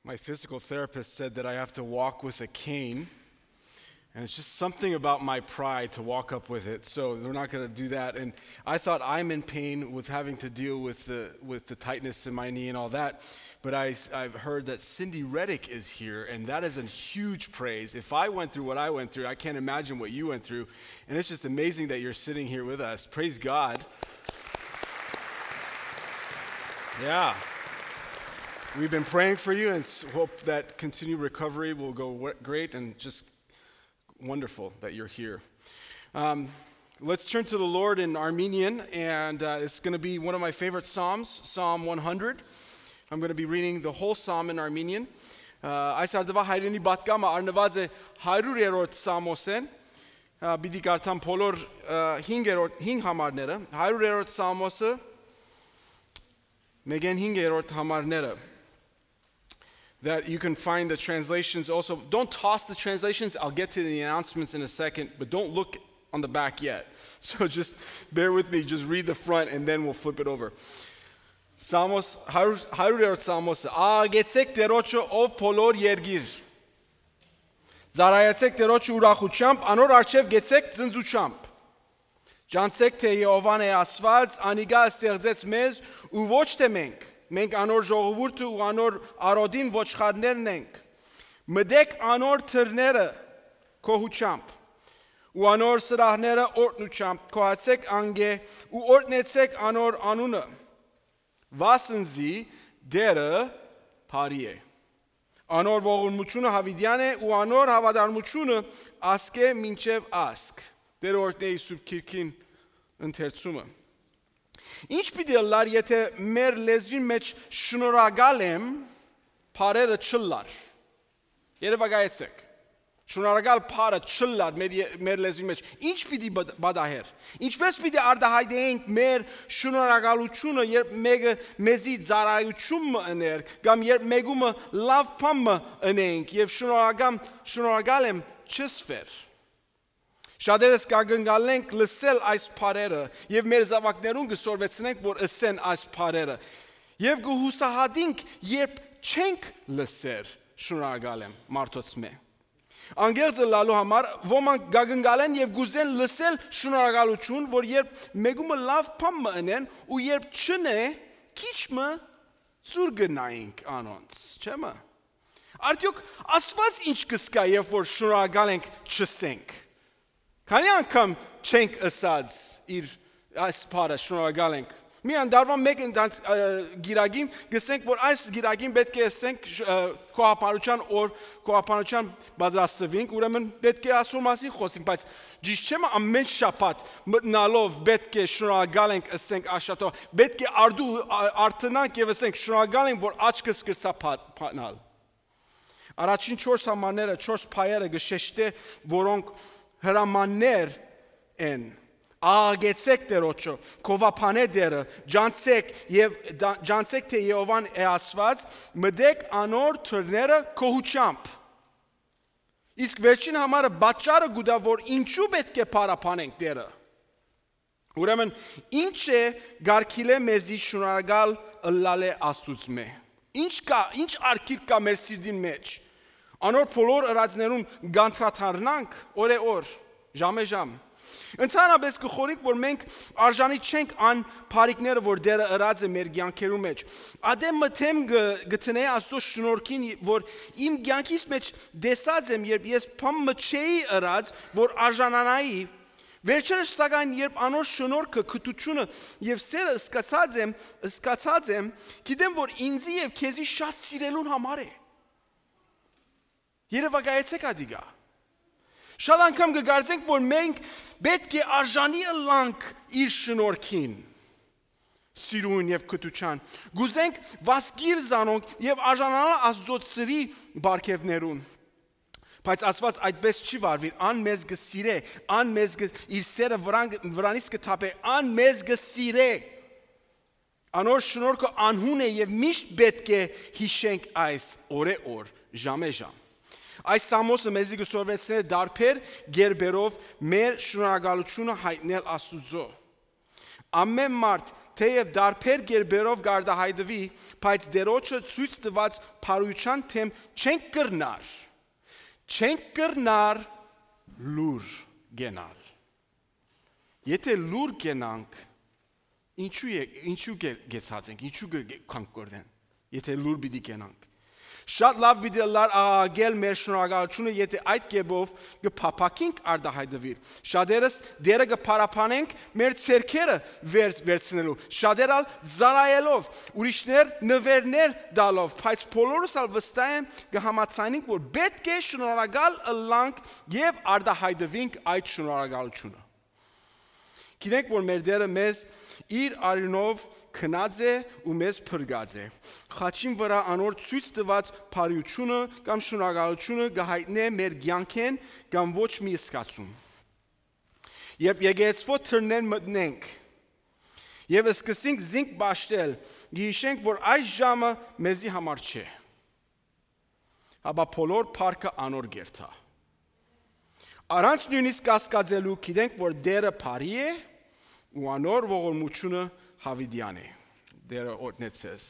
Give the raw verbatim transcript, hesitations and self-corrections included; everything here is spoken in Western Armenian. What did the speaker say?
My physical therapist said that I have to walk with a cane. And it's just something about my pride to walk up with it. So we're not going to do that. And I thought I'm in pain with having to deal with the, with the tightness in my knee and all that. But I, I've heard that Cindy Reddick is here, and that is a huge praise. If I went through what I went through, I can't imagine what you went through. And it's just amazing that you're sitting here with us. Praise God. Yeah. We've been praying for you and s- hope that continued recovery will go w- great and just wonderful that you're here. Um, let's turn to the Lord in Armenian, and uh, it's going to be one of my favorite Psalms, Psalm one hundred. I'm going to be reading the whole Psalm in Armenian. Uh, այս արդուա հայրենի պատգամը առնված է հարյուր երրորդ Սամոսեն։ Ա, պիտի կարդամ բոլոր, ա, հինգերորդ, հինգ համարները, հարյուր երրորդ Սամոսը, մեկեն հինգերորդ համարները, that you can find the translations also. Don't toss the translations. I'll get to the announcements in a second, but don't look on the back yet. So just bear with me. Just read the front, and then we'll flip it over. Սամոս, հարյուր, հարյուր երրորդ Սամոսը. «Աղագեցեք Տերոջը, ով բոլոր երկիր։ Ծառայեցեք Տերոջը ուրախությամբ, անոր առջեւ գեցեք ծնծուչամբ։ Ճանչցեք, թէ Եհովան է Աստուած, անիկա ստեղծեց մեզ ու ոչ թէ մենք։ Մենք անոր ժողովուրդը ու անոր արօտին ոչխարներն ենք։ Մտեք անոր դռները գոհությամբ ու անոր սրահները օրհնությամբ, գոհացեք անգէ ու օրհնեցեք անոր անունը։ Վասն զի Տերը բարի է։ Անոր ողորմությունը յաւիտեան է ու անոր հաւատարմությունը ազգէ մինչեւ ազգ»։ Տերը օրհնէ իր Սուրբ Գիրքին ընթերցումը։ Ի՞նչ պիտի ըլլար, եթէ մեր լեզուին մէջ «շնորհակալ եմ» բառերը չըլլար։ Երևակայեցեք։ Շնորհակալ բառը չըլլար մեր ե-, մեր լեզուի մէջ, ի՞նչ պիտի բա-, պատահեր։ Ինչպե՞ս պիտի արտահայտեինք մեր շնորհակալությունը, երբ մեկը մեզի ծառայութիւն մը ըներ, կամ երբ մեկումը լաւ բան մը ընենք, եւ շնորհակալ, շնորհակալ եմ չըսվեր։ Շատերս կակնկալենք լսել այս բառերը եւ մեր զաւակներուն կը սորվեցնենք, որ ըսեն այս բառերը։ Եւ կը յուսահատենք, երբ չենք լսեր «շնորհակալ եմ» մարդոց մէ։ Անկեղծ ըլլալու համար, ոմանք կակնկալեն եւ կուզեն լսել շնորհակալություն, որ երբ մեկումը լաւ բան մը ընեն ու երբ չընէ, քիչ մը ծուր կը նայենք անոնց, չէ՞ մը։ Արդեօք Աստուած ի՞նչ կ'ըսկայ, երբ որ «շնորհակալ ենք» չըսենք։ Քանի՞ անգամ չենք ըսած իր այս բառը, «շնորհակալ ենք»։ Միայն տարուան մէկ ընդ-, ա, գիրագին, կ'ըսենք, որ այս գիրագին պէտք է ըսենք, շ-, ա, գոհաբանութեան օր, գոհաբանութեան պատրաստուինք, ուրեմն պէտք է ասոր մասին խօսենք, բայց ճիշդ չէ՞, մը ամէն շաբաթ մտնալով պէտք է «շնորհակալ ենք» ըսենք աշատով, պէտք է արդու, ա, արթնանք եւ ըսենք. «Շնորհակալ ենք, որ աչքս կրցա փա-, փանալ»։ Առաջին չորս համարները, չորս փայերը կը շեշտէ, որոնք հրամաններ են. «Աղագեցեք Տերոջը, գովաբանէ Տերը, ճանչցեք եւ դա-, ճանչցեք, թէ Եհովան է Աստուած, մտեք անոր դռները գոհությամբ»։ Իսկ վերջին համարը պատճառը կու տայ, որ ինչու պէտք է փառաբանենք Տերը։ Ուրեմն, ի՞նչ է կարգիլէ մեզի շնորհակալ ըլլալէ Աստուծմէ։ Ի՞նչ կայ, ի՞նչ արգիլք կայ մեր սիրտին մէջ։ Անոր բոլոր ըրածներուն կանդրադառնանք օրէ օր, ժամէ ժամ։ Ընդհանրապէս կը խորհենք, որ մենք արժանի չենք այն բարիքները, որ Տերը ըրած է մեր կեանքերու մէջ։ Ատեմ մը դէմ կը, կը դնէ Աստուծոյ շնորհքին, որ իմ կեանքիս մէջ տեսած եմ, երբ ես բան մը չէի ըրած, որ արժանանայի, վերջերս, սակայն, երբ անոր շնորհքը, գթությունը եւ սերը սկսած եմ, սկսած եմ, գիտեմ, որ ինձի եւ քեզի շատ սիրելուն համար է։ Երևակայեցեք ադիկա։ Շատ անգամ կը կարծենք, որ մենք պէտք է արժանի ըլլանք իր շնորհքին, սիրուն եւ գթության։ Կուզենք վասկիր զանոնք եւ արժանանալ Աստուծոյ սիրի պարգեւներուն։ Բայց Աստուած այդպես չի վարուիր, ան մեզ կը սիրէ, ան մեզ կը, իր սերը վրան, վրանից կը թափէ, ան մեզ կը սիրէ։ Անոր շնորհքը անհուն է եւ միշտ պէտք է յիշենք այս օրէ օր, ժամէ ժամ։ Այս Սամոսը մեզի կը սորվեցնէ դարբեր կերպերով մեր շնորհակալությունը յայտնել Աստուծոյ։ Ամէն մարդ թէեւ տարբեր կերպերով կարտահայտուի, բայց Տէրոջը ցոյց տուած բարութեան դէմ չենք կրնար, չենք կրնար լուր կենալ։ Եթէ լուր կենանք, ինչու է, ինչու կե-, կեցած ենք, ինչու կը-, կը-, կանք կորտեն, եթէ լուր պիտի կենանք։ Շատ լաւ պիտի ըլլար աղաղակել մեր շնորհակալութիւնը, եթէ այդ կերպով կը փափաքինք արտահայտուիլ։ Շատերս Տէրը կը փառաբանենք մեր ձեռքերը վեր-, վերցնելով, շատեր ալ ծառայելով, ուրիշներ նուէրներ տալով, բայց բոլորս ալ վստահ եմ կը համաձայնենք, որ պէտք է շնորհակալ ըլլանք եւ արտահայտուինք այդ շնորհակալութիւնը։ Գիտենք, որ մեր Տէրը մեզ իր արիւնով գնած է ու մեզ փրկած է։ Խաչին վրայ անոր ցոյց տուած բարիութիւնը կամ շնորհակալութիւնը կը յայտնէ մեր կեանքէն կամ ոչ մի զգացում։ Երբ եկեղեցւոյ դռնէն մտնենք եւ սկսենք զինք պաշտել, կը յիշենք, որ այս ժամը մեզի համար չէ, հապա բոլոր փառքը անոր կերթայ։ Առանց նոյնիսկ կասկածելու գիտենք, որ Տէրը բարի է ու անոր ողորմութիւնը յաւիտեան է։ Տէրը օրհնեցես։